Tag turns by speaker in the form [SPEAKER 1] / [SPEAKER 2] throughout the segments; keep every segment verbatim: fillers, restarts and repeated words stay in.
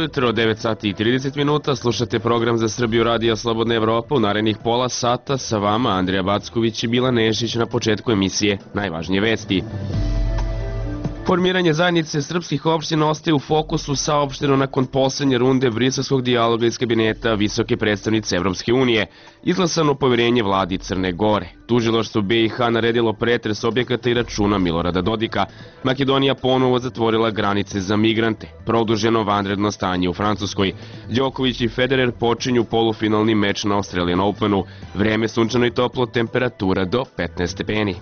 [SPEAKER 1] jutro, devet sati i trideset minuta, slušate program za Srbiju Radija Slobodna Evropa. U narednih pola sata sa vama Andrija Backović i Bila Nešić. Na početku emisije najvažnije vesti. Formiranje zajednice srpskih opština ostaje u fokusu saopšteno nakon poslednje runde briselskog dijaloga iz kabineta visoke predstavnice Evropske unije. Izglasano poverenje vladi Crne Gore. Tužilaštvo B i H naredilo pretres objekata i računa Milorada Dodika. Makedonija ponovo zatvorila granice za migrante. Produženo vanredno stanje u Francuskoj. Đoković i Federer počinju polufinalni meč na Australian Openu. Vreme sunčano i toplo, temperatura do petnaest stepeni.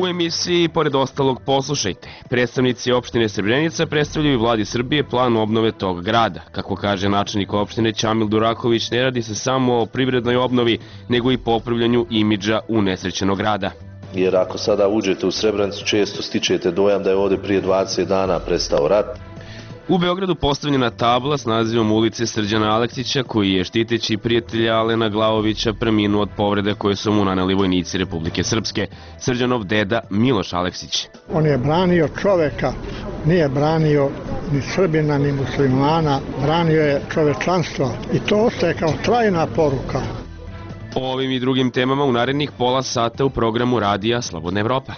[SPEAKER 1] U emisiji, pored ostalog, poslušajte. Predstavnici opštine Srebrenica predstavljaju vladi Srbije plan obnove tog grada. Kako kaže načelnik opštine Ćamil Duraković, ne radi se samo o privrednoj obnovi, nego i popravljanju imidža unesrećenog grada.
[SPEAKER 2] Jer ako sada uđete u Srebrenicu, često stičete dojam da je ovde prije dvadeset dana prestao rat.
[SPEAKER 1] U Beogradu postavljena tabla s nazivom ulice Srđana Aleksića, koji je štiteći prijatelja Alena Glavovića preminuo od povrede koje su mu naneli vojnici Republike Srpske. Srđanov deda Miloš Aleksić.
[SPEAKER 3] On je branio čoveka, nije branio ni Srbina ni muslimana, branio je čovečanstvo i to ostaje kao trajna poruka.
[SPEAKER 1] O ovim i drugim temama u narednih pola sata u programu Radija Slobodna Evropa.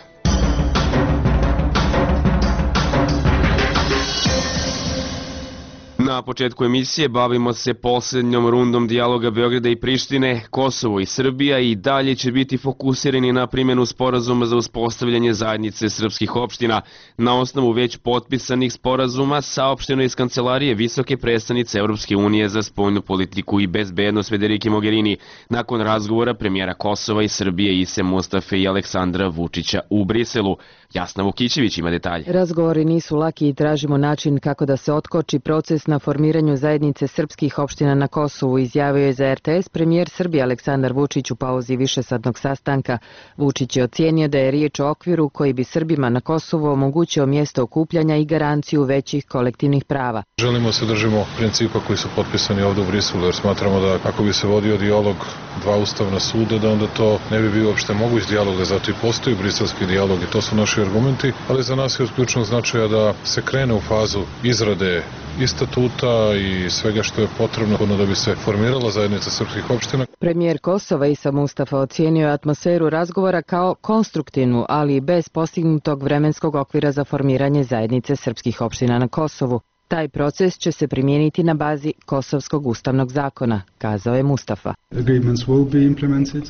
[SPEAKER 1] Na početku emisije bavimo se posljednjom rundom dijaloga Beograda i Prištine. Kosovo i Srbija i dalje će biti fokusirani na primjenu sporazuma za uspostavljanje zajednice srpskih opština. Na osnovu već potpisanih sporazuma saopšteno iz kancelarije visoke predstavnice Evropske unije za spoljnu politiku i bezbednost Federike Mogherini nakon razgovora premijera Kosova i Srbije Ise Mustafe i Aleksandra Vučića u Briselu. Jasna Vukićević ima detalje.
[SPEAKER 4] Razgovori nisu laki i tražimo način kako da se otkoči proces na formiranju zajednice srpskih opština na Kosovu, izjavio je za R T S premijer Srbije Aleksandar Vučić u pauzi višesatnog sastanka. Vučić je ocijenio da je riječ o okviru koji bi Srbima na Kosovu omogućio mjesto okupljanja i garanciju većih kolektivnih prava.
[SPEAKER 5] Želimo se držimo principa koji su potpisani ovdje u Briselu, jer smatramo da ako bi se vodio dijalog dva ustavna suda, da onda to ne bi bio uopšte moguć dijalog, da zato i postoji briselski dijalog i to su naši argumenti, ali za nas je od ključnog značaja da se krene u fazu izrade i statuta i svega što je potrebno da bi se formirala zajednica srpskih opština.
[SPEAKER 4] Premijer Kosova Isa Mustafa ocijenio je atmosferu razgovora kao konstruktivnu, ali i bez postignutog vremenskog okvira za formiranje zajednice srpskih opština na Kosovu. Taj proces će se primijeniti na bazi Kosovskog ustavnog zakona, kazao je Mustafa.
[SPEAKER 6] Agreements will be implemented,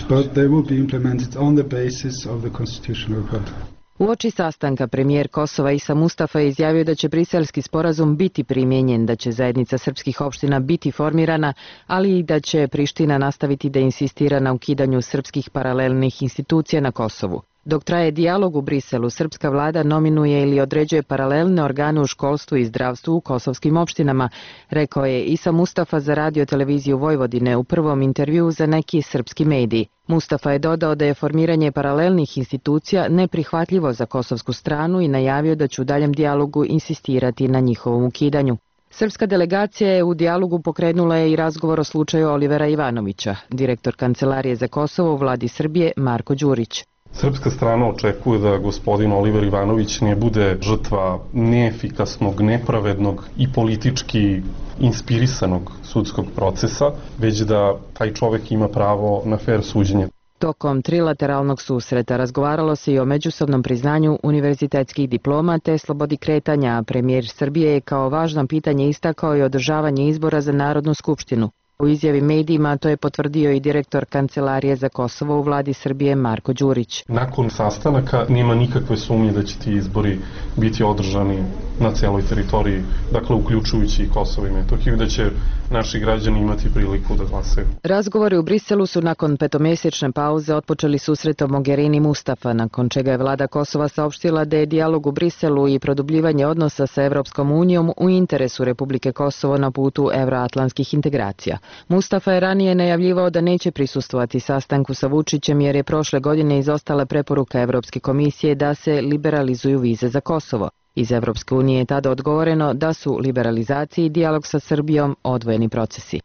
[SPEAKER 6] but they will be implemented on the basis of the constitutional code.
[SPEAKER 4] Uoči sastanka premijer Kosova Isa Mustafa je izjavio da će briselski sporazum biti primijenjen, da će zajednica srpskih opština biti formirana, ali i da će Priština nastaviti da insistira na ukidanju srpskih paralelnih institucija na Kosovu. Dok traje dijalog u Briselu, srpska vlada nominuje ili određuje paralelne organe u školstvu i zdravstvu u kosovskim opštinama, rekao je Isa Mustafa za radio televiziju Vojvodine u prvom intervjuu za neki srpski mediji. Mustafa je dodao da je formiranje paralelnih institucija neprihvatljivo za kosovsku stranu i najavio da će u daljem dijalogu insistirati na njihovom ukidanju. Srpska delegacija je u dijalogu pokrenula je i razgovor o slučaju Olivera Ivanovića, direktor Kancelarije za Kosovo u vladi Srbije Marko Đurić.
[SPEAKER 7] Srpska strana očekuje da gospodin Oliver Ivanović ne bude žrtva neefikasnog, nepravednog i politički inspirisanog sudskog procesa, već da taj čovek ima pravo na fer suđenje.
[SPEAKER 4] Tokom trilateralnog susreta razgovaralo se i o međusobnom priznanju univerzitetskih diploma te slobodi kretanja, a premijer Srbije je kao važno pitanje istakao i održavanje izbora za Narodnu skupštinu. U izjavi medijima to je potvrdio i direktor Kancelarije za Kosovo u vladi Srbije Marko Đurić.
[SPEAKER 7] Nakon sastanaka nema nikakve sumnje da će ti izbori biti održani na celoj teritoriji, dakle uključujući i Kosovo i Metohiju, da će naši građani imati priliku da glasaju.
[SPEAKER 4] Razgovori u Briselu su nakon petomjesečne pauze otpočeli susretom Mogherini Mustafa, nakon čega je vlada Kosova saopštila da je dijalog u Briselu i produbljivanje odnosa sa Evropskom unijom u interesu Republike Kosovo na putu evroatlantskih integracija. Mustafa je ranije najavljivao da neće prisustvovati sastanku sa Vučićem jer je prošle godine izostala preporuka Evropske komisije da se liberalizuju vize za Kosovo. Iz Evropske unije je tada odgovoreno da su liberalizacija i dijalog sa Srbijom odvojeni procesi.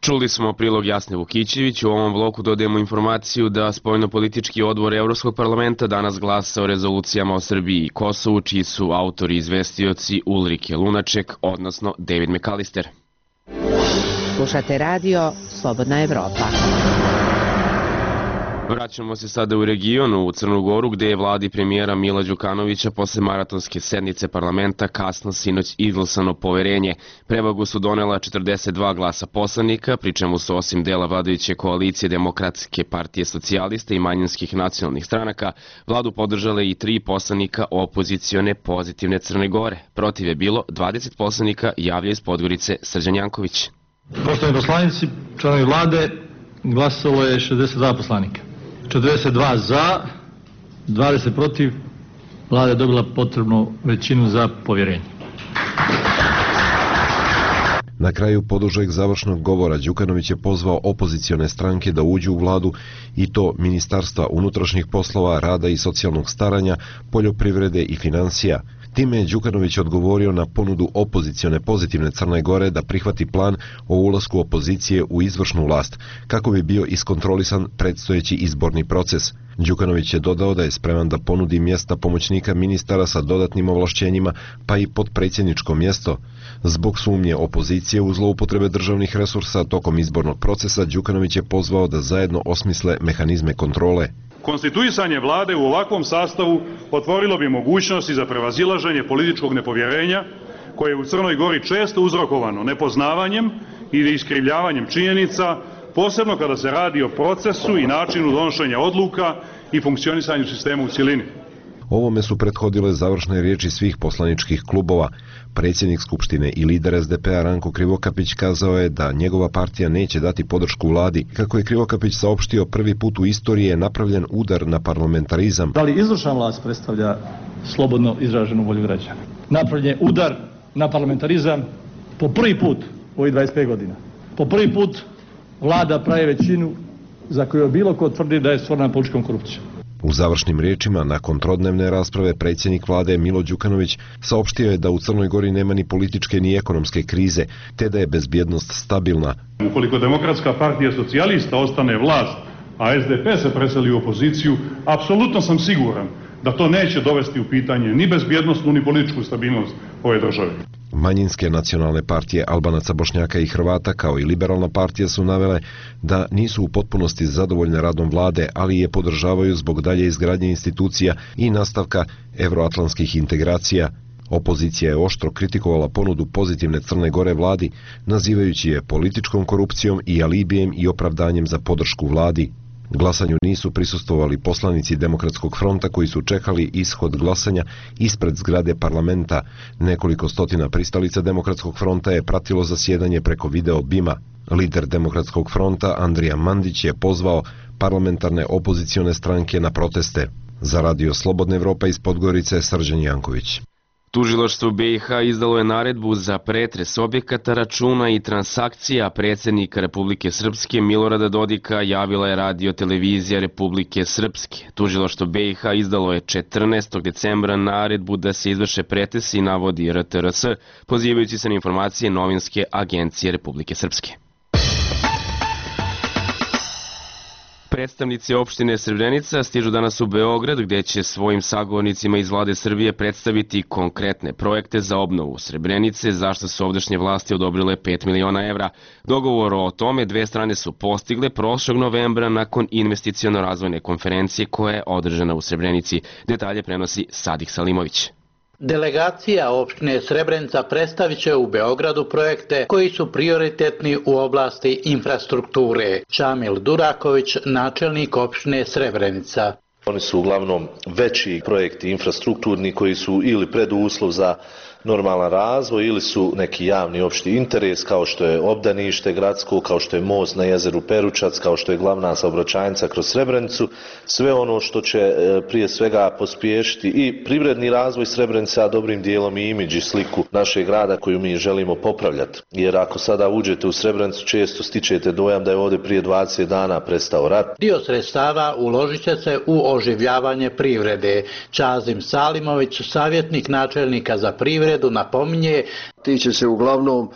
[SPEAKER 1] Čuli smo prilog Jasne Vukićević. U ovom bloku dodajemo informaciju da spoljnopolitički odbor Evropskog parlamenta danas glasa o rezolucijama o Srbiji i Kosovu, čiji su autori izvestioci Ulrike Lunaček, odnosno David McAllister.
[SPEAKER 8] Slušate radio Slobodna Evropa.
[SPEAKER 1] Vraćamo se sada u regionu, u Crnu Goru, gde je vladi premijera Mila Đukanovića posle maratonske sednice parlamenta kasno sinoć izglasano poverenje. Prevagu su donela četrdeset dva glasa poslanika, pri čemu su osim dela vladajuće koalicije Demokratske partije socijalista i manjinskih nacionalnih stranaka, vladu podržale i tri poslanika opozicione Pozitivne Crne Gore. Protiv je bilo dvadeset poslanika, javlja iz Podgorice Srđan Janković.
[SPEAKER 9] Poštovani poslanici, članovi vlade, glasalo je šezdeset dva poslanika. četrdeset dva za, dvadeset protiv, vlada je dobila potrebnu većinu za povjerenje.
[SPEAKER 10] Na kraju podužeg završnog govora Đukanović je pozvao opozicione stranke da uđu u vladu i to Ministarstva unutrašnjih poslova, rada i socijalnog staranja, poljoprivrede i financija. Time je Đukanović odgovorio na ponudu opozicione Pozitivne Crne Gore da prihvati plan o ulasku opozicije u izvršnu vlast, kako bi bio iskontrolisan predstojeći izborni proces. Đukanović je dodao da je spreman da ponudi mjesta pomoćnika ministara sa dodatnim ovlašćenjima, pa i potpredsjedničko mjesto. Zbog sumnje opozicije u zloupotrebe državnih resursa tokom izbornog procesa, Đukanović je pozvao da zajedno osmisle mehanizme kontrole.
[SPEAKER 11] Konstituisanje vlade u ovakvom sastavu otvorilo bi mogućnosti za prevazilaženje političkog nepovjerenja, koje je u Crnoj Gori često uzrokovano nepoznavanjem ili iskrivljavanjem činjenica, posebno kada se radi o procesu i načinu donošenja odluka i funkcionisanju sistema u cjelini.
[SPEAKER 10] Ovome su prethodile završne riječi svih poslaničkih klubova. Predsjednik Skupštine i lider es de pe a Ranko Krivokapić kazao je da njegova partija neće dati podršku vladi. Kako je Krivokapić saopštio, prvi put u istoriji je napravljen udar na parlamentarizam.
[SPEAKER 9] Da li izvršna vlast predstavlja slobodno izraženu volju građana? Napravljen udar na parlamentarizam po prvi put u ovih dvadeset pet godina. Po prvi put vlada pravi većinu za koju je bilo ko tvrdi da je stvorena političkom korupcijom.
[SPEAKER 10] U završnim riječima, nakon trodnevne rasprave, predsjednik vlade Milo Đukanović saopštio je da u Crnoj Gori nema ni političke ni ekonomske krize, te da je bezbjednost stabilna.
[SPEAKER 11] Ukoliko Demokratska partija socijalista ostane vlast, a es de pe se preseli u opoziciju, apsolutno sam siguran da to neće dovesti u pitanje ni bezbjednostnu ni političku stabilnost ove države.
[SPEAKER 10] Manjinske nacionalne partije Albanaca, Bošnjaka i Hrvata kao i liberalna partija su navele da nisu u potpunosti zadovoljne radom vlade, ali je podržavaju zbog dalje izgradnje institucija i nastavka evroatlantskih integracija. Opozicija je oštro kritikovala ponudu Pozitivne Crne Gore vladi, nazivajući je političkom korupcijom i alibijem i opravdanjem za podršku vladi. Glasanju nisu prisustvovali poslanici Demokratskog fronta koji su čekali ishod glasanja ispred zgrade parlamenta. Nekoliko stotina pristalica Demokratskog fronta je pratilo zasjedanje preko video bima. Lider Demokratskog fronta Andrija Mandić je pozvao parlamentarne opozicione stranke na proteste. Za radio Slobodna Evropa iz Podgorice Srđan Janković.
[SPEAKER 1] Tužilaštvo be i ha izdalo je naredbu za pretres objekata, računa i transakcija predsjednika Republike Srpske Milorada Dodika, javila je radio televizija Republike Srpske. Tužilaštvo be i ha izdalo je četrnaestog decembra naredbu da se izvrše pretesi, navodi er te er es, pozivajući se na informacije novinske agencije Republike Srpske. Predstavnici opštine Srebrenica stižu danas u Beograd, gde će svojim sagovornicima iz vlade Srbije predstaviti konkretne projekte za obnovu Srebrenice, zašto su ovdašnje vlasti odobrile pet miliona evra. Dogovor o tome dve strane su postigle prošlog novembra nakon investiciono-razvojne konferencije koja je održana u Srebrenici. Detalje prenosi Sadik Salimović.
[SPEAKER 12] Delegacija opštine Srebrenica predstavit će u Beogradu projekte koji su prioritetni u oblasti infrastrukture. Šamil Duraković, načelnik opštine Srebrenica.
[SPEAKER 2] Oni su uglavnom veći projekti infrastrukturni koji su ili preduslov za normalan razvoj ili su neki javni opšti interes, kao što je obdanište gradsko, kao što je most na jezeru Peručac, kao što je glavna saobraćajnica kroz Srebrenicu, sve ono što će prije svega pospješiti i privredni razvoj Srebrenice, a dobrim dijelom i imidž i sliku našeg grada koju mi želimo popravljati. Jer ako sada uđete u Srebrenicu, često stičete dojam da je ovdje prije dvadeset dana prestao rat.
[SPEAKER 12] Dio sredstava uložit će se u oživljavanje privrede. Čazim Salimović, savjetnik načelnika za privredu poljoprivredu napominje
[SPEAKER 13] tiče se uglavnom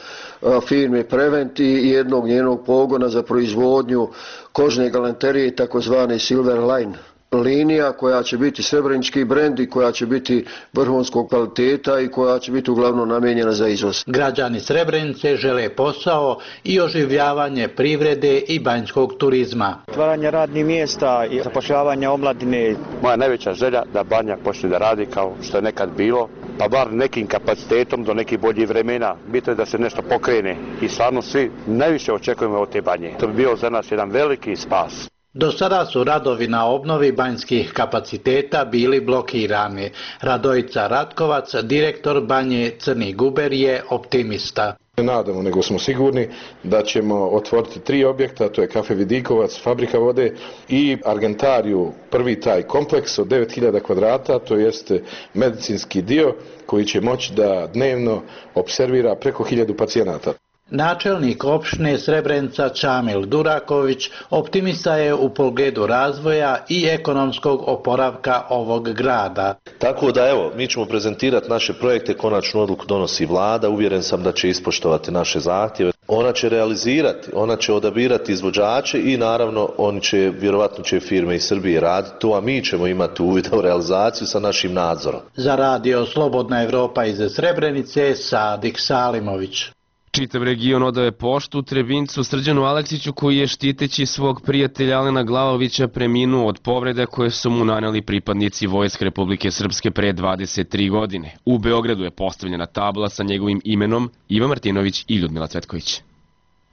[SPEAKER 13] firme Prevent i jednog njenog pogona za proizvodnju kožne galanterije, takozvane Silver Line linija, koja će biti srebrenički brend i koja će biti vrhunskog kvaliteta i koja će biti uglavnom namijenjena za izvoz.
[SPEAKER 12] Građani Srebrenice žele posao i oživljavanje privrede i banjskog turizma.
[SPEAKER 14] Otvaranje radnih mjesta i zapošljavanje omladine.
[SPEAKER 15] Moja najveća želja da Banja počne da radi kao što je nekad bilo, pa bar nekim kapacitetom do nekih boljih vremena. Bitno je da se nešto pokrene i stvarno svi najviše očekujemo od te Banje. To bi bio za nas jedan veliki spas.
[SPEAKER 12] Do sada su radovi na obnovi banjskih kapaciteta bili blokirani. Radojica Ratkovac, direktor Banje Crni Guber, je optimista.
[SPEAKER 16] Ne nadamo, nego smo sigurni da ćemo otvoriti tri objekta, to je Kafe Vidikovac, Fabrika vode i Argentariju, prvi taj kompleks od devet hiljada kvadrata, to jeste medicinski dio koji će moći da dnevno observira preko hiljadu pacijenata.
[SPEAKER 12] Načelnik opštine Srebrenica Čamil Duraković optimista je u pogledu razvoja i ekonomskog oporavka ovog grada.
[SPEAKER 2] Tako da evo, mi ćemo prezentirati naše projekte, konačnu odluku donosi vlada, uvjeren sam da će ispoštovati naše zahtjeve. Ona će realizirati, ona će odabirati izvođače i naravno oni će, vjerovatno će firme iz Srbije raditi to, a mi ćemo imati uvid u realizaciju sa našim nadzorom.
[SPEAKER 12] Za radio Slobodna Evropa iz Srebrenice, Sadik Salimović.
[SPEAKER 1] Čitav region odaje poštu Trebincu Srđanu Aleksiću, koji je štiteći svog prijatelja Alena Glavovića preminuo od povreda koje su mu naneli pripadnici Vojske Republike Srpske pre dvadeset tri godine. U Beogradu je postavljena tabla sa njegovim imenom Ivan Martinović i Ljudmila Cvetković.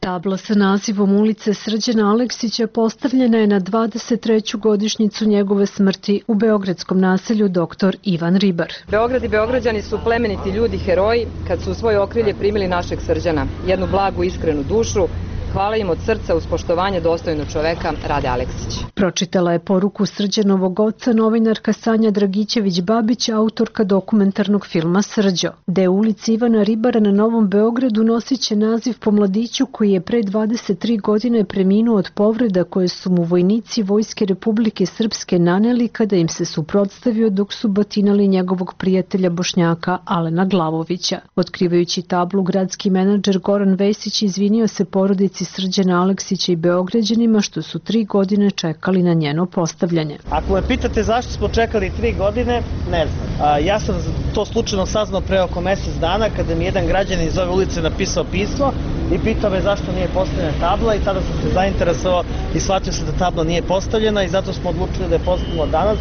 [SPEAKER 17] Tabla sa nazivom ulice Srđana Aleksića postavljena je na dvadeset treću godišnjicu njegove smrti u beogradskom naselju Doktor Ivan Ribar.
[SPEAKER 18] Beograd i Beograđani su plemeniti ljudi, heroji, kad su u svoje okrilje primili našeg Srđana, jednu blagu, iskrenu dušu. Hvala im od srca uz poštovanje dostojnog čoveka, Rade Aleksić.
[SPEAKER 17] Pročitala je poruku Srđanovog oca novinarka Sanja Dragićević-Babić, autorka dokumentarnog filma Srđo. Deo ulici Ivana Ribara na Novom Beogradu nosit će naziv po mladiću koji je pre dvadeset tri godine preminuo od povreda koje su mu vojnici Vojske Republike Srpske naneli kada im se suprotstavio dok su batinali njegovog prijatelja Bošnjaka Alena Glavovića. Otkrivajući tablu, gradski menadžer Goran Vesić izvinio se porodici Srđana Aleksića i Beograđanima što su tri godine čekali na njeno postavljanje.
[SPEAKER 19] Ako me pitate zašto smo čekali tri godine, ne znam. A, ja sam to slučajno saznao pre oko mjesec dana kada mi jedan građanin iz ove ulice napisao pismo i pitao me zašto nije postavljena tabla i tada sam se zainteresovao i shvatio se da tabla nije postavljena i zato smo odlučili da je postavimo danas.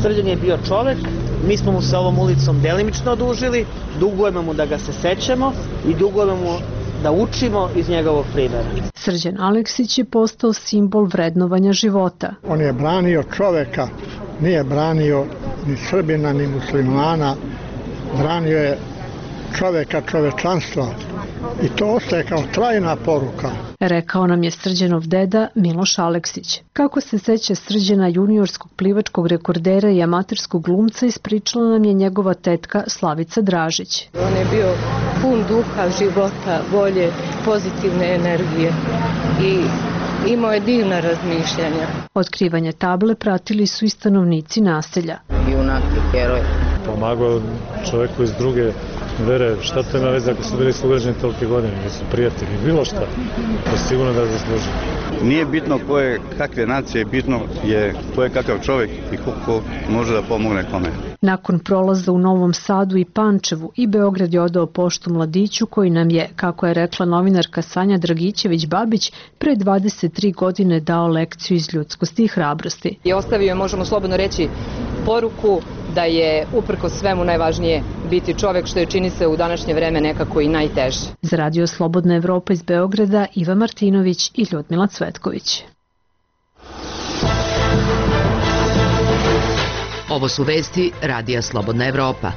[SPEAKER 19] Srđan je bio čovek, mi smo mu se ovom ulicom delimično odužili, dugujemo mu da ga se sećamo i dugujemo mu da učimo iz njegovog primjera.
[SPEAKER 17] Srđan Aleksić je postao simbol vrednovanja života.
[SPEAKER 3] On je branio čoveka, nije branio ni Srbina, ni muslimana, branio je čoveka, čovečanstva i to ostaje kao trajna poruka.
[SPEAKER 17] Rekao nam je Srđanov deda Miloš Aleksić. Kako se seća Srđana, juniorskog plivačkog rekordera i amaterskog glumca, ispričala nam je njegova tetka Slavica Dražić.
[SPEAKER 20] On je bio pun duha, života, volje, pozitivne energije i imao je divna razmišljanja.
[SPEAKER 17] Otkrivanje table pratili su i stanovnici naselja.
[SPEAKER 20] Junak i heroj.
[SPEAKER 21] Pomagao čoveku iz druge vere, šta to ima veze ako su bili sugrađani tolike godine, nisu prijatelji, bilo šta, to sigurno da zasluži.
[SPEAKER 22] Nije bitno ko je kakve nacije, bitno je ko je kakav čovjek i ko, ko može da pomogne kome.
[SPEAKER 17] Nakon prolaza u Novom Sadu i Pančevu i Beograd je odao poštu mladiću koji nam je, kako je rekla novinarka Sanja Dragićević-Babić, pre dvadeset tri godine dao lekciju iz ljudskosti i hrabrosti.
[SPEAKER 18] I ostavio je, možemo slobodno reći, poruku da je uprko svemu najvažnije biti čovek, što je čini se u današnje vreme nekako i najteže.
[SPEAKER 17] Za radio Slobodna Evropa iz Beograda, Ivan Martinović i Ljudmila Cvetković.
[SPEAKER 8] Ovo su vesti radija Slobodna Evropa.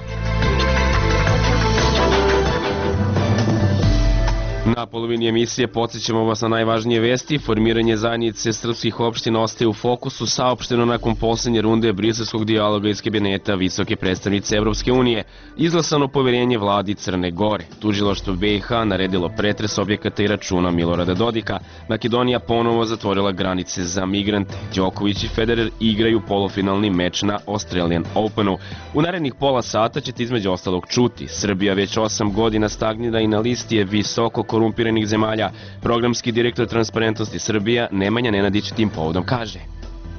[SPEAKER 1] Na polovini emisije podsjećamo vas na najvažnije vesti. Formiranje zajednice srpskih opština ostaje u fokusu, saopšteno nakon posljednje runde briselskog dijaloga iz kabineta visoke predstavnice Evropske unije. Izglasano poverenje vladi Crne Gore. Tužilaštvo B i H naredilo pretres objekata i računa Milorada Dodika. Makedonija ponovo zatvorila granice za migrante. Đoković i Federer igraju polufinalni meč na Australian Openu. U narednih pola sata ćete između ostalog čuti. Srbija već osam godina stagnira i na listi je visoko korumpiranih zemalja. Programski direktor Transparentnosti Srbija Nemanja Nenadić tim povodom kaže: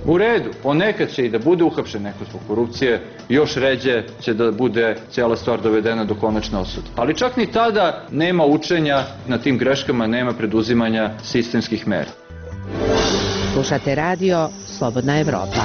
[SPEAKER 5] U redu, ponekad će i da bude uhapšen neko zbog korupcije, još ređe će da bude cijela stvar dovedena do konačne osude. Ali čak ni tada nema učenja na tim greškama, nema preduzimanja sistemskih mera.
[SPEAKER 8] Slušate radio Slobodna Evropa.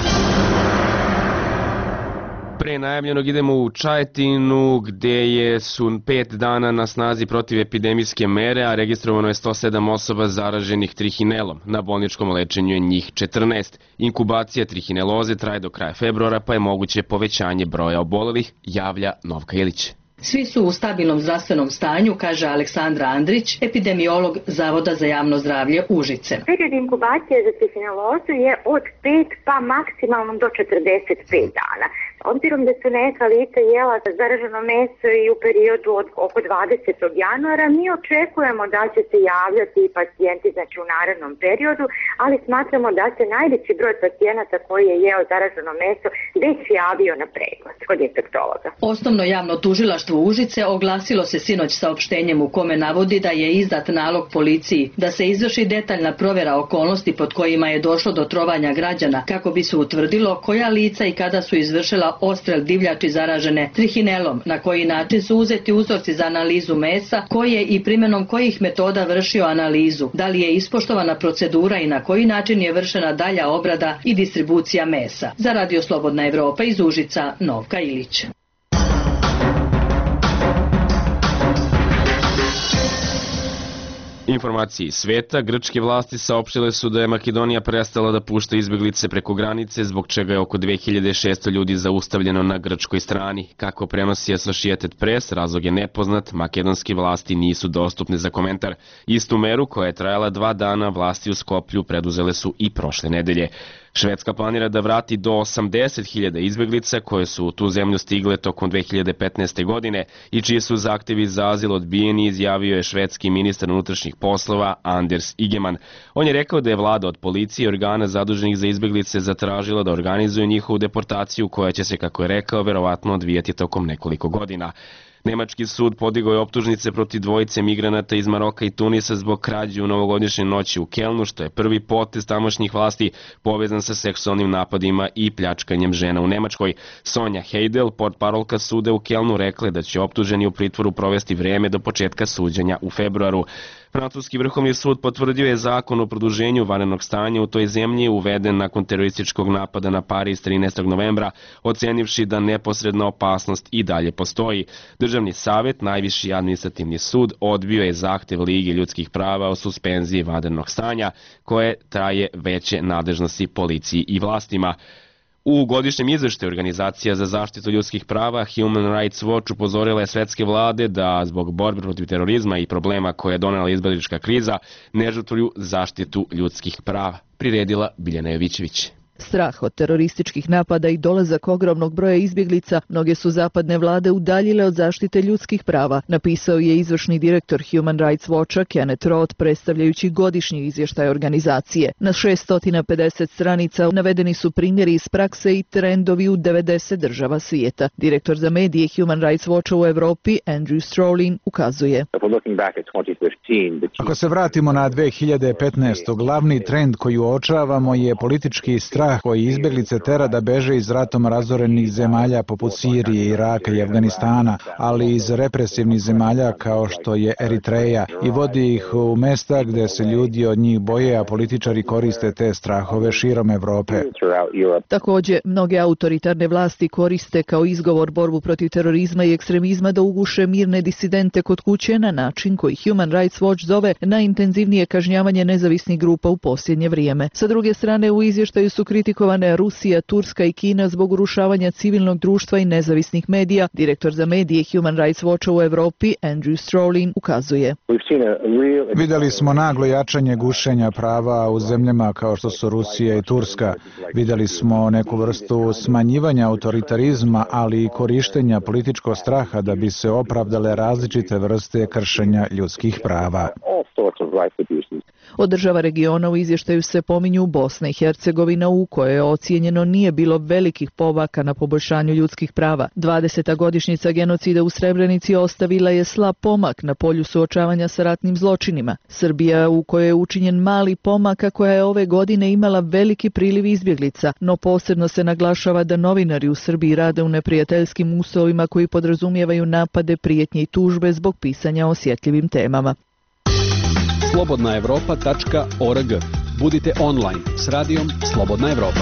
[SPEAKER 1] Pre najavljenog idemo u Čajetinu, gde je su pet dana na snazi protivepidemijske mere, a registrovano je sto sedam osoba zaraženih trihinelom. Na bolničkom lečenju je njih četrnaest. Inkubacija trihineloze traje do kraja februara, pa je moguće povećanje broja obolelih, javlja Novka Ilić.
[SPEAKER 6] Svi su u stabilnom zdravstvenom stanju, kaže Aleksandra Andrić, epidemiolog Zavoda za javno zdravlje Užice.
[SPEAKER 23] Period inkubacije za trihinelozu je od pet pa maksimalno do četrdeset pet dana. Obzirom da su neka lica jela zaraženo meso i u periodu od oko dvadesetog januara, mi očekujemo da će se javljati i pacijenti znači u narednom periodu, ali smatramo da se najveći broj pacijenata koji je jeo zaraženo meso već javio na pregled kod infektologa.
[SPEAKER 6] Osnovno javno tužilaštvo Užice oglasilo se sinoć saopštenjem u kome navodi da je izdat nalog policiji da se izvrši detaljna provjera okolnosti pod kojima je došlo do trovanja građana kako bi se utvrdilo koja lica i kada su izvršila odstrel divljači zaražene trihinelom, na koji način su uzeti uzorci za analizu mesa, koji je i primjenom kojih metoda vršio analizu, da li je ispoštovana procedura i na koji način je vršena dalja obrada i distribucija mesa. Za Radio Slobodna Evropa iz Užica, Novka Ilić.
[SPEAKER 1] Informacije iz sveta, grčke vlasti saopštile su da je Makedonija prestala da pušta izbeglice preko granice, zbog čega je oko dve hiljade šesto ljudi zaustavljeno na grčkoj strani. Kako prenosi Associated Press, razlog je nepoznat, makedonske vlasti nisu dostupne za komentar. Istu meru, koja je trajala dva dana, vlasti u Skoplju preduzele su i prošle nedelje. Švedska planira da vrati do osamdeset hiljada izbeglica koje su u tu zemlju stigle tokom dve hiljade petnaeste. godine i čiji su zahtevi za azil odbijeni, izjavio je švedski ministar unutrašnjih poslova Anders Ygeman. On je rekao da je vlada od policije i organa zaduženih za izbeglice zatražila da organizuju njihovu deportaciju koja će se, kako je rekao, verovatno odvijati tokom nekoliko godina. Nemački sud podigao je optužnice protiv dvojice migranata iz Maroka i Tunisa zbog krađe u novogodišnje noći u Kelnu, što je prvi potez tamošnjih vlasti povezan sa seksualnim napadima i pljačkanjem žena u Nemačkoj. Sonja Heidel, portparolka suda u Kelnu, rekla je da će optuženi u pritvoru provesti vreme do početka suđenja u februaru. Francuski vrhovni sud potvrdio je zakon o produženju vanrednog stanja u toj zemlji uveden nakon terorističkog napada na Pariz trinaestog novembra, ocenivši da neposredna opasnost i dalje postoji. Državni savjet, najviši administrativni sud, odbio je zahtev Lige ljudskih prava o suspenziji vanrednog stanja, koje traje veće nadležnosti policiji i vlastima. U godišnjem izveštaju Organizacija za zaštitu ljudskih prava Human Rights Watch upozorila je svetske vlade da zbog borbe protiv terorizma i problema koje je donela izbeglička kriza ne žrtvuju zaštitu ljudskih prava, priredila Biljana Jovićević.
[SPEAKER 24] Strah od terorističkih napada i dolazak ogromnog broja izbjeglica, mnoge su zapadne vlade udaljile od zaštite ljudskih prava, napisao je izvršni direktor Human Rights Watcha Kenneth Roth predstavljajući godišnji izvještaj organizacije. Na šessto pedeset stranica navedeni su primjeri iz prakse i trendovi u devedeset država svijeta. Direktor za medije Human Rights Watcha u Evropi Andrew Strolin ukazuje:
[SPEAKER 25] Ako se vratimo na dve hiljade petnaestu. glavni trend koji uočavamo je politički strah koji izbjeglice tera da beže iz ratom razorenih zemalja poput Sirije, Iraka i Afganistana, ali iz represivnih zemalja kao što je Eritreja i vodi ih u mesta gdje se ljudi od njih boje, a političari koriste te strahove širom Evrope.
[SPEAKER 24] Također, mnoge autoritarne vlasti koriste kao izgovor borbu protiv terorizma i ekstremizma da uguše mirne disidente kod kuće na način koji Human Rights Watch zove najintenzivnije kažnjavanje nezavisnih grupa u posljednje vrijeme. Sa druge strane, u izvještaju su kritikovane Rusija, Turska i Kina zbog urušavanja civilnog društva i nezavisnih medija, direktor za medije Human Rights Watcha u Evropi, Andrew Strolin, ukazuje.
[SPEAKER 25] Videli smo naglo jačanje gušenja prava u zemljama kao što su Rusija i Turska. Videli smo neku vrstu smanjivanja autoritarizma, ali i korištenja političkog straha da bi se opravdale različite vrste kršenja ljudskih prava.
[SPEAKER 24] Od država regiona u izvještaju se pominju Bosna i Hercegovina u kojoj je ocijenjeno nije bilo velikih pomaka na poboljšanju ljudskih prava. dvadeseta godišnjica genocida u Srebrenici ostavila je slab pomak na polju suočavanja sa ratnim zločinima. Srbija u kojoj je učinjen mali pomak, a koja je ove godine imala veliki priliv izbjeglica, no posebno se naglašava da novinari u Srbiji rade u neprijateljskim uslovima koji podrazumijevaju napade, prijetnje i tužbe zbog pisanja o osjetljivim temama.
[SPEAKER 4] slobodna evropa tačka org. Budite online s radijom Slobodna Evropa.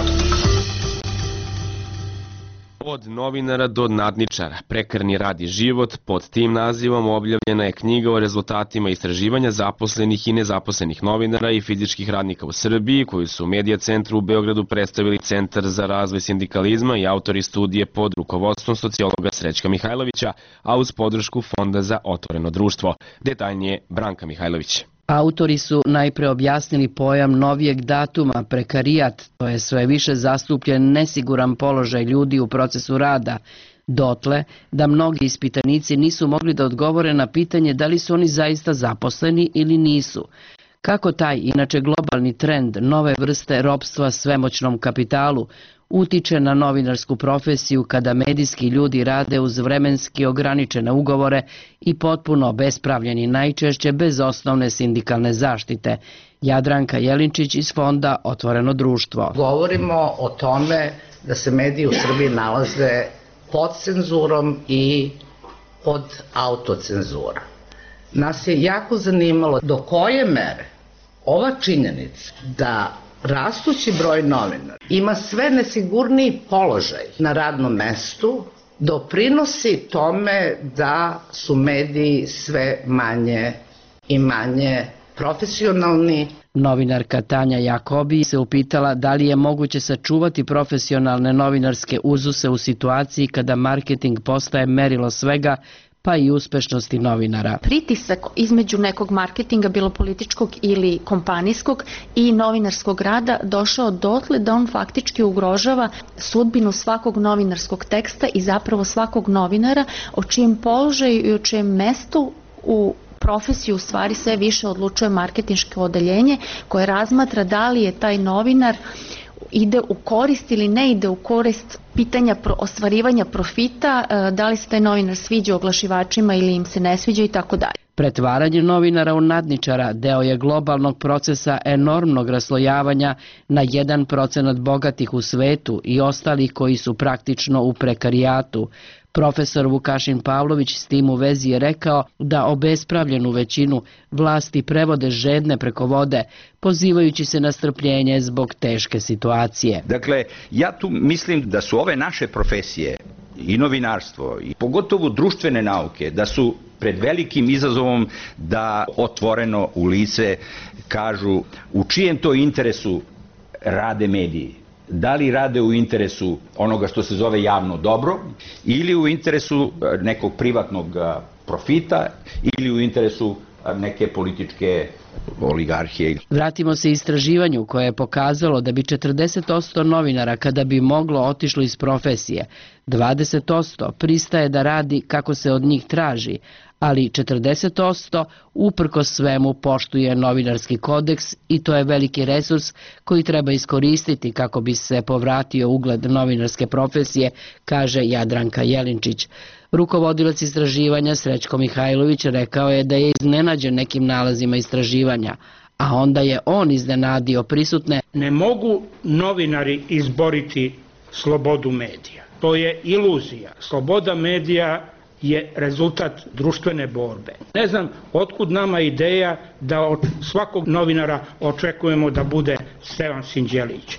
[SPEAKER 1] Od novinara do nadničara, prekarni rad i život, pod tim nazivom objavljena je knjiga o rezultatima istraživanja zaposlenih i nezaposlenih novinara i fizičkih radnika u Srbiji, koju su u Medija centru u Beogradu predstavili Centar za razvoj sindikalizma i autori studije pod rukovodstvom sociologa Srećka Mihajlovića, a uz podršku Fonda za otvoreno društvo. Detaljnije Branka Mihajlović.
[SPEAKER 7] Autori su najpre objasnili pojam novijeg datuma, prekarijat, to je sve više zastupljen nesiguran položaj ljudi u procesu rada, dotle da mnogi ispitanici nisu mogli da odgovore na pitanje da li su oni zaista zaposleni ili nisu. Kako taj, inače globalni trend nove vrste ropstva svemoćnom kapitalu utiče na novinarsku profesiju kada medijski ljudi rade uz vremenski ograničene ugovore i potpuno obespravljeni, najčešće bez osnovne sindikalne zaštite. Jadranka Jelinčić iz Fonda Otvoreno društvo.
[SPEAKER 9] Govorimo o tome da se mediji u Srbiji nalaze pod cenzurom i pod autocenzura. Nas je jako zanimalo do koje mere ova činjenica da rastući broj novinara ima sve nesigurniji položaj na radnom mestu doprinosi tome da su mediji sve manje i manje profesionalni.
[SPEAKER 7] Novinarka Tanja Jakobi se upitala da li je moguće sačuvati profesionalne novinarske uzuse u situaciji kada marketing postaje merilo svega, pa i uspešnosti novinara.
[SPEAKER 10] Pritisak između nekog marketinga, bilo političkog ili kompanijskog, i novinarskog rada došao dotle da on faktički ugrožava sudbinu svakog novinarskog teksta i zapravo svakog novinara, o čijem položaju i o čijem mestu u profesiju u stvari sve više odlučuje marketinško odeljenje koje razmatra da li je taj novinar ide u korist ili ne ide u korist pitanja ostvarivanja profita, da li se taj novinar sviđa oglašivačima ili im se ne sviđa i tako dalje.
[SPEAKER 7] Pretvaranje novinara u nadničara deo je globalnog procesa enormnog raslojavanja na jedan procenat bogatih u svetu i ostalih koji su praktično u prekarijatu. Profesor Vukašin Pavlović s tim u vezi je rekao da obespravljenu većinu vlasti prevode žedne preko vode, pozivajući se na strpljenje zbog teške situacije.
[SPEAKER 11] Dakle, ja tu mislim da su ove naše profesije i novinarstvo i pogotovo društvene nauke, da su pred velikim izazovom da otvoreno u lice kažu u čijem to interesu rade mediji. Da li rade u interesu onoga što se zove javno dobro ili u interesu nekog privatnog profita ili u interesu neke političke oligarhije.
[SPEAKER 7] Vratimo se istraživanju koje je pokazalo da bi četrdeset posto novinara kada bi moglo otišlo iz profesije. dvadeset posto pristaje da radi kako se od njih traži, ali četrdeset posto uprkos svemu poštuje novinarski kodeks i to je veliki resurs koji treba iskoristiti kako bi se povratio ugled novinarske profesije, kaže Jadranka Jelinčić. Rukovodilac istraživanja Srećko Mihajlović rekao je da je iznenađen nekim nalazima istraživanja, a onda je on iznenadio prisutne.
[SPEAKER 26] Ne mogu novinari izboriti slobodu medija. To je iluzija. Sloboda medija je rezultat društvene borbe. Ne znam otkud nama ideja da od svakog novinara očekujemo da bude Stevan Sinđelić.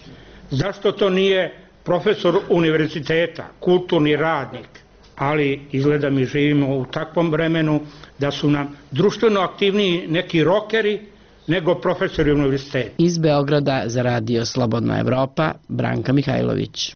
[SPEAKER 26] Zašto to nije profesor univerziteta, kulturni radnik? Ali izgleda mi živimo u takvom vremenu da su nam društveno aktivniji neki rokeri nego profesori univerziteta.
[SPEAKER 7] Iz Beograda za radio Slobodna Evropa, Branka Mihajlović.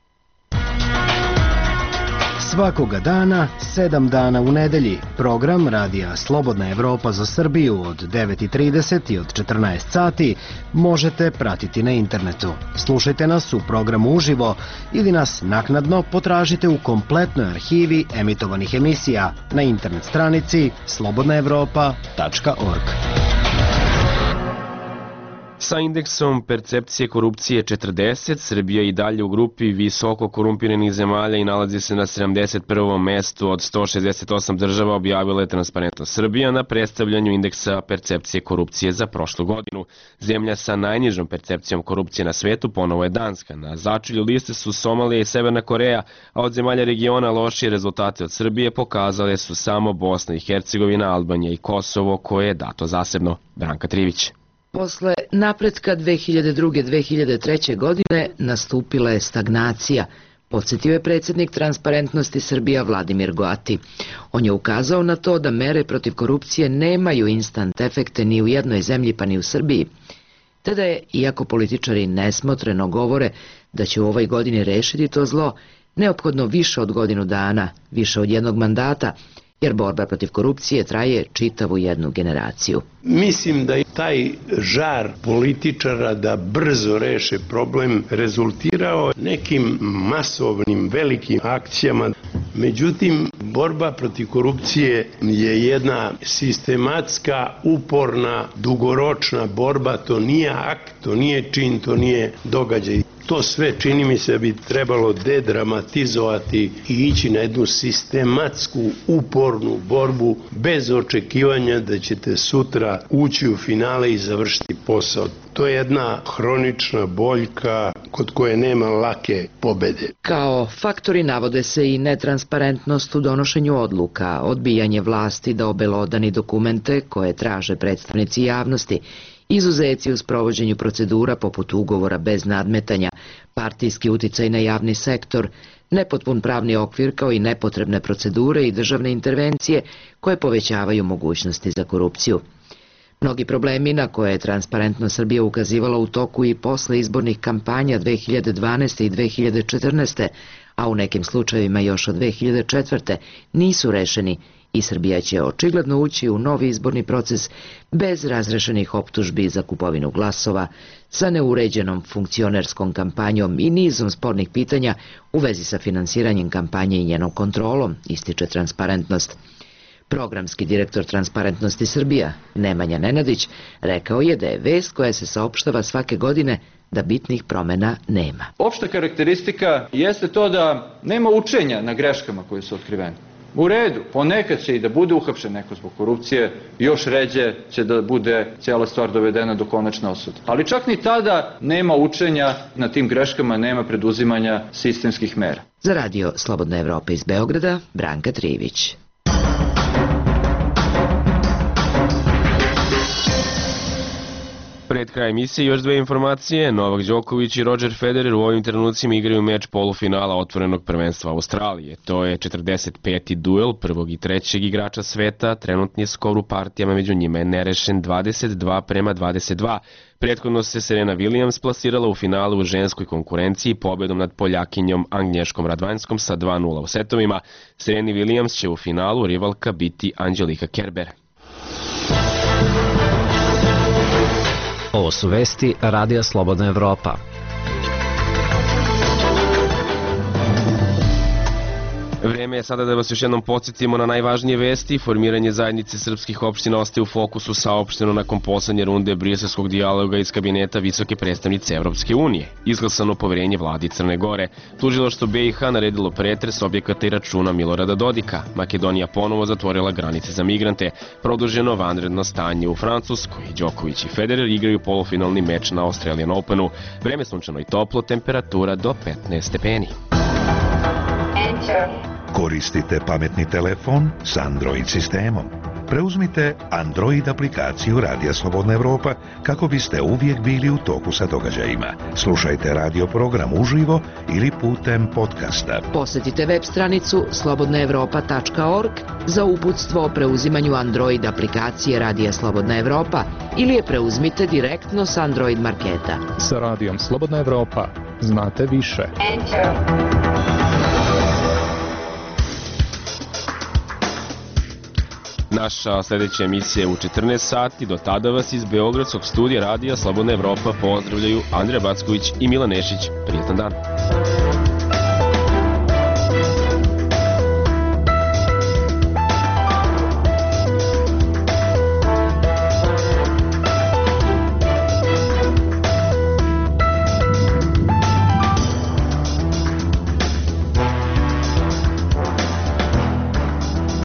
[SPEAKER 2] Svakoga dana, sedam dana u nedelji, program radija Slobodna Evropa za Srbiju od devet i trideset i od četrnaest sati možete pratiti na internetu. Slušajte nas u programu uživo ili nas naknadno potražite u kompletnoj arhivi emitovanih emisija na internet stranici slobodna evropa tačka org.
[SPEAKER 1] Sa indeksom percepcije korupcije četrdeset, Srbija je i dalje u grupi visoko korumpiranih zemalja i nalazi se na sedamdeset prvom mestu od sto šezdeset osam država, objavila je Transparentnost Srbija na predstavljanju indeksa percepcije korupcije za prošlu godinu. Zemlja sa najnižom percepcijom korupcije na svetu ponovo je Danska. Na začelju liste su Somalija i Severna Koreja, a od zemalja regiona lošije rezultate od Srbije pokazale su samo Bosna i Hercegovina, Albanija i Kosovo, koje je dato zasebno. Branka Trivić.
[SPEAKER 7] Posle napretka dve hiljade druge do dve hiljade treće. godine nastupila je stagnacija, podsjetio je predsjednik Transparentnosti Srbija Vladimir Goati. On je ukazao na to da mere protiv korupcije nemaju instant efekte ni u jednoj zemlji pa ni u Srbiji. Te da je, iako političari nesmotreno govore da će u ovoj godini rešiti to zlo, neophodno više od godinu dana, više od jednog mandata, jer borba protiv korupcije traje čitavu jednu generaciju.
[SPEAKER 12] Mislim da je taj žar političara da brzo reše problem rezultirao nekim masovnim velikim akcijama. Međutim, borba protiv korupcije je jedna sistematska, uporna, dugoročna borba. To nije akt, to nije čin, to nije događaj. To sve, čini mi se, bi trebalo dedramatizovati i ići na jednu sistematsku, upornu borbu bez očekivanja da ćete sutra ući u finale i završiti posao. To je jedna hronična boljka kod koje nema lake pobede.
[SPEAKER 7] Kao faktori navode se i netransparentnost u donošenju odluka, odbijanje vlasti da obelodani dokumente koje traže predstavnici javnosti, izuzeci u sprovođenju procedura poput ugovora bez nadmetanja, partijski uticaj na javni sektor, nepotpun pravni okvir kao i nepotrebne procedure i državne intervencije koje povećavaju mogućnosti za korupciju. Mnogi problemi na koje je Transparentnost Srbija ukazivala u toku i posle izbornih kampanja dve hiljade dvanaeste. i dve hiljade četrnaeste. a u nekim slučajevima još od dve hiljade četvrte. nisu rešeni i Srbija će očigledno ući u novi izborni proces bez razrešenih optužbi za kupovinu glasova, sa neuređenom funkcionerskom kampanjom i nizom spornih pitanja u vezi sa finansiranjem kampanje i njenom kontrolom, ističe Transparentnost. Programski direktor Transparentnosti Srbija, Nemanja Nenadić, rekao je da je vest koja se saopštava svake godine da bitnih promena nema.
[SPEAKER 5] Opšta karakteristika jeste to da nema učenja na greškama koje su otkrivene. U redu, ponekad će i da bude uhapšen neko zbog korupcije, još ređe će da bude cijela stvar dovedena do konačne osude. Ali čak ni tada nema učenja na tim greškama, nema preduzimanja sistemskih mera.
[SPEAKER 7] Za radio Slobodna Evropa iz Beograda, Branka Trivić.
[SPEAKER 1] Pred kraj emisije još dve informacije. Novak Đoković i Roger Federer u ovim trenucima igraju meč polufinala otvorenog prvenstva Australije. To je četrdeset peti duel prvog i trećeg igrača sveta. Trenutni skor u partijama među njima je nerešen dvadeset dva prema dvadeset dva. Prethodno se Serena Williams plasirala u finalu u ženskoj konkurenciji pobedom nad Poljakinjom Agnješkom Radvanjskom sa dva nula u setovima. Sereni Williams će u finalu rivalka biti Angelika Kerber.
[SPEAKER 13] Ovo su vesti Radija Slobodna Evropa.
[SPEAKER 1] Vreme je sada da vas još jednom podsjetimo na najvažnije vesti. Formiranje zajednice srpskih opština ostaje u fokusu, saopšteno nakon poslednje runde briselskog dijaloga iz kabineta visoke predstavnice Evropske unije. Izglasano poverenje vladi Crne Gore. Tužilaštvo B i H naredilo pretres objekata i računa Milorada Dodika. Makedonija ponovo zatvorila granice za migrante. Produženo vanredno stanje u Francuskoj. Đoković i Federer igraju polufinalni meč na Australian Openu. Vreme sunčano i toplo, temperatura do petnaest stepeni.
[SPEAKER 14] Koristite pametni telefon s Android sistemom.
[SPEAKER 3] preuzmite Android aplikaciju Radija Slobodna Evropa kako biste uvijek bili u toku sa događajima. Slušajte radio program uživo ili putem podcasta.
[SPEAKER 8] Posjetite web stranicu slobodna evropa tačka org za uputstvo o preuzimanju Android aplikacije Radija Slobodna Evropa ili je preuzmite direktno s Android marketa.
[SPEAKER 14] Sa Radijom Slobodna Evropa znate više.
[SPEAKER 1] Naša sljedeća emisija je u četrnaest sati. Do tada vas iz Beogradskog studija Radija Slobodna Evropa pozdravljaju Andrija Backović i Milan Nešić. Prijetan dan.